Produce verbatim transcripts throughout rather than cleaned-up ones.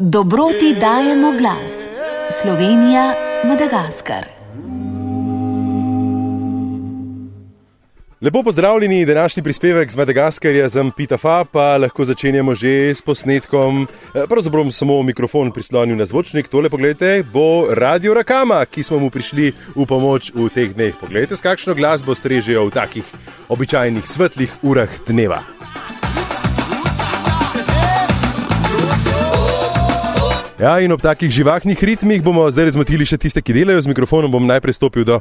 Dobroti dajemo glas. Slovenija, Madagaskar. Lepo pozdravljeni, današnji prispevek z Madagaskarja z Ampitafa, pa lahko začenjamo že s posnetkom. Pravzaprav bom samo mikrofon prislonil na zvočnik. Tole, pogledajte, bo Radio Rakama, ki smo mu prišli v pomoč v teh dneh. Poglejte, s kakšno glasbo strežejo v takih običajnih svetlih urah dneva. Ja, in ob takih živahnih ritmih bomo zdaj razmotili še tiste, ki delajo z mikrofonom. Bom najprej stopil do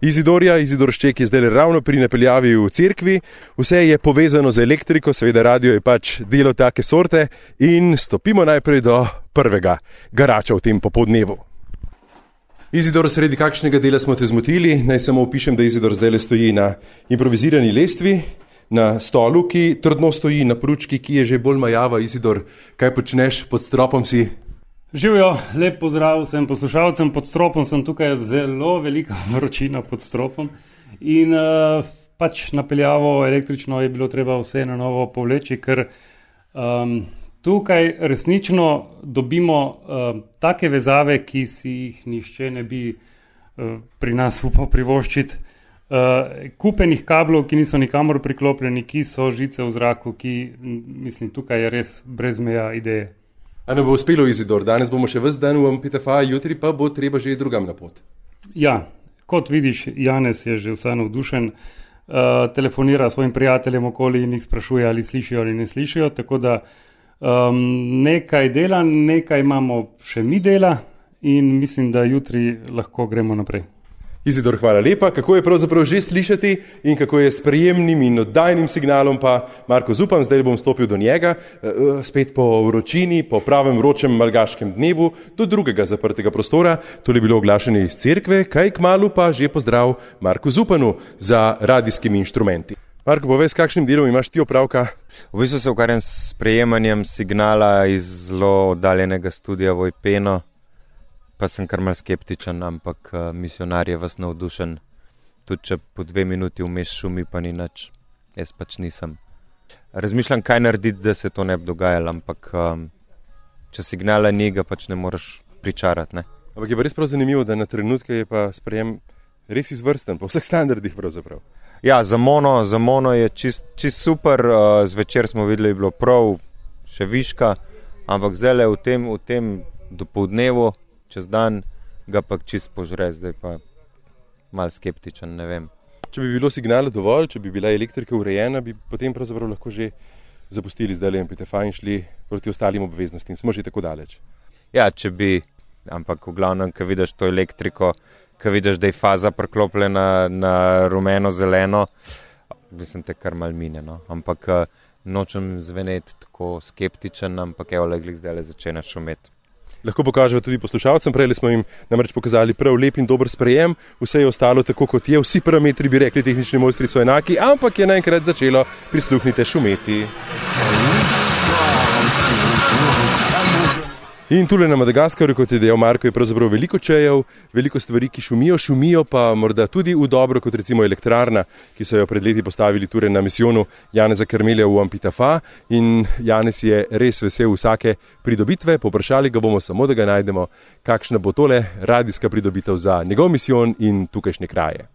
Izidorja. Izidor Šček je zdaj ravno pri napeljavi v cerkvi. Vse je povezano z elektriko, seveda radio je pač delo take sorte. In stopimo najprej do prvega garača v tem popoldnevu. Izidor, sredi kakšnega dela smo te zmotili? Naj samo opišem, da Izidor zdaj stoji na improvizirani lestvi, na stolu, ki trdno stoji, na pručki, ki je že bolj majava. Izidor, kaj počneš, pod stropom si? Živijo, lep pozdrav vsem poslušalcem. Pod stropom sem tukaj, zelo velika vročina pod stropom in uh, pač napeljavo električno je bilo treba vse na novo povleči, ker um, tukaj resnično dobimo uh, take vezave, ki si jih nihče ne bi uh, pri nas upal privoščiti. Uh, kupenih kablov, ki niso nikamor priklopljeni, ki so žice v zraku, ki, mislim, tukaj je res brez meja ideje. A ne bo uspelo, Izidor? Danes bomo še ves dan v Ampitafa, jutri pa bo treba že drugam na pot. Ja, kot vidiš, Janez je že vse navdušen, uh, telefonira svojim prijateljem okoli in jih sprašuje, ali slišijo ali ne slišijo, tako da um, nekaj dela, nekaj imamo še mi dela in mislim, da jutri lahko gremo naprej. Izidor, hvala lepa. Kako je pravzaprav že slišati in kako je s prijemnim in oddajnim signalom, pa Marko Zupan, zdaj bom stopil do njega, spet po vročini, po pravem vročem malgaškem dnevu, do drugega zaprtega prostora. To je bilo oglašanje iz cerkve, kaj kmalu pa že pozdrav Marku Zupanu za radijskimi inštrumenti. Marko, povej, s kakšnim delom imaš ti opravka? V bistvu se ukvarjam s prejemanjem signala iz zelo oddaljenega studia Vojpeno. Pa sem kar mal skeptičen, ampak uh, misionar je vas navdušen. Tudi če po dve minuti vmes šumi, pa ni nič. Jaz pač nisem. Razmišljam, kaj narediti, da se to ne bi dogajalo, ampak um, če signala ni, ga pač ne moreš pričarati. Ne? Ampak je pa res prav zanimivo, da na trenutke je pa sprejem res izvrsten, po vseh standardih pravzaprav. Ja, za mono, za mono je čist, čist super. Uh, zvečer smo videli, je bilo prav, še viška, ampak zdaj le v tem, v tem dopoldnevu, čez dan ga pa čist požre, zdaj pa malo skeptičen, ne vem. Če bi bilo signala dovolj, če bi bila elektrika urejena, bi potem pravzaprav lahko že zapustili zdaj le Ampitafa in šli proti ostalim obveznostim. Smo že tako daleč. Ja, če bi, ampak v glavnem, ko vidiš to elektriko, ko vidiš, da je faza preklopljena na rumeno-zeleno, mislim, te kar mal mine, no. Ampak nočem zveneti tako skeptičen, ampak evo, leglik zdaj le začne šumeti. Lahko pokažemo tudi poslušalcem, prej smo jim namreč pokazali prav lep in dober sprejem, vse je ostalo tako, kot je, vsi parametri bi rekli, tehnični mojstri so enaki, ampak je naenkrat začelo, prisluhnite, šumeti. In tule na Madagaskarju, kot je dejal Marko, je pravzaprav veliko čejev, veliko stvari, ki šumijo, šumijo pa morda tudi v dobro, kot recimo elektrarna, ki so jo pred leti postavili ture na misijonu Janeza Karmelja v Ampitafa. In Janez je res vesel vsake pridobitve, poprašali ga bomo samo, da ga najdemo, kakšna bo tole radijska pridobitev za njegov misijon in tukajšnje kraje.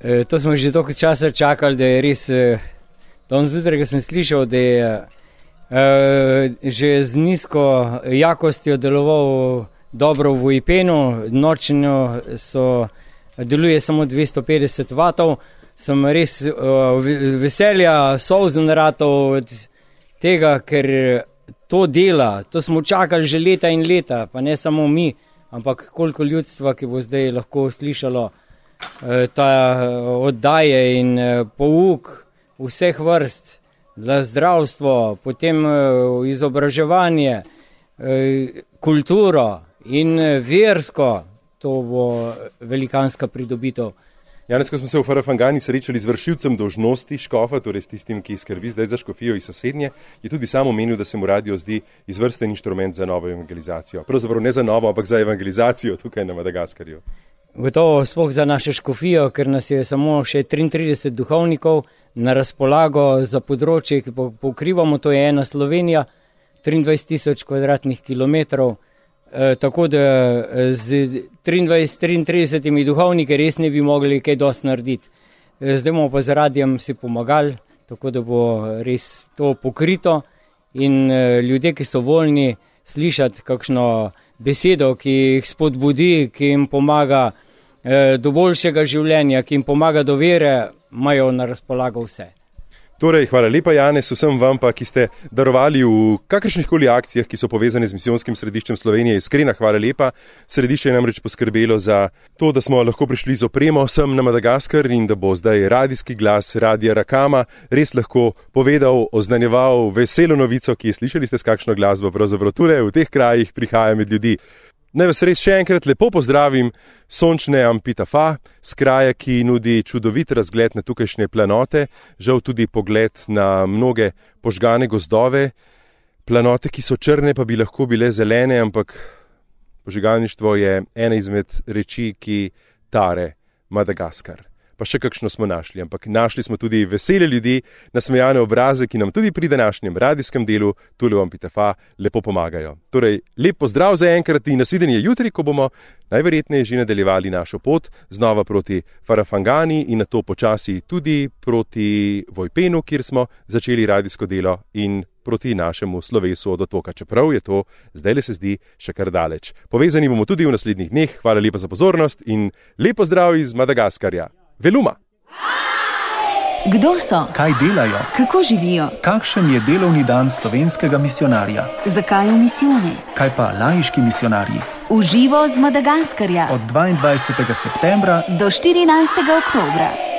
E, to smo že toliko časa čakali, da je res, danes zjutraj, ko sem slišal, da je Uh, že z nizko jakostjo deloval dobro v Vojpenu, nočno so, deluje samo dvesto petdeset vatov, sem res uh, veselja, solzen ratov od tega, ker to dela, to smo čakali že leta in leta, pa ne samo mi, ampak koliko ljudstva, ki bo zdaj lahko slišalo uh, ta oddaje in uh, pouk vseh vrst. Za zdravstvo, potem uh, izobraževanje, uh, kulturo in uh, versko, to bo velikanska pridobitev. Janez, ko smo se v Farafangani srečali z vršilcem dolžnosti škofa, torej s tistim, ki skrbi zdaj za škofijo iz sosednje, je tudi sam omenil, da se mu radio zdi izvrsten inštrument za novo evangelizacijo. Pravzaprav ne za novo, ampak za evangelizacijo tukaj na Madagaskarju. Gotovo sploh za našo škofijo, ker nas je samo še triintrideset duhovnikov na razpolago za področje, ki pokrivamo, to je ena Slovenija, triindvajset tisoč kvadratnih kilometrov, e, tako da z triindvajset triintridesetimi duhovniki res ne bi mogli kaj dosti narediti. E, zdaj bomo pa z radijem si pomagali, tako da bo res to pokrito in e, ljudje, ki so voljni slišati kakšno besedo, ki jih spodbudi, ki jim pomaga e, do boljšega življenja, ki jim pomaga do vere, imajo na razpolago vse. Torej, hvala lepa, Janez, vsem vam pa, ki ste darovali v kakršnih koli akcijah, ki so povezane z misijonskim središčem Slovenije. Iskrena hvala lepa. Središče je namreč poskrbelo za to, da smo lahko prišli z opremo sem na Madagaskar in da bo zdaj radijski glas Radia Rakama res lahko povedal, oznanjeval veselo novico, ki je slišali ste s kakšno glasbo, pravzaprav tudi v teh krajih prihaja med ljudi. Naj vas res še enkrat lepo pozdravim sončne Ampitafa, z kraja, ki nudi čudovit razgled na tukajšnje planote, žal tudi pogled na mnoge požgane gozdove, planote, ki so črne, pa bi lahko bile zelene, ampak požigalništvo je ena izmed reči, ki tare Madagaskar. Pa še kakšno smo našli, ampak našli smo tudi vesele ljudi, nasmejane obraze, ki nam tudi pri današnjem radijskem delu tule v Ampitafa lepo pomagajo. Torej, lep pozdrav za enkrat in nasvidenje jutri, ko bomo najverjetneje že nadaljevali našo pot znova proti Farafangani in nato počasi tudi proti Vojpenu, kjer smo začeli radijsko delo in proti našemu slovesu od otoka, čeprav je to zdaj le se zdi še kar daleč. Povezani bomo tudi v naslednjih dneh, hvala lepa za pozornost in lep pozdrav iz Madagaskarja. Veluma. Kdo so? Kaj delajo? Kako živijo? Kakšen je delovni dan slovenskega misijonarja? Zakaj v misijone? Kaj pa laiški misijonarji? V živo z Madagaskarja. Od dvaindvajsetega septembra do štirinajstega oktobra.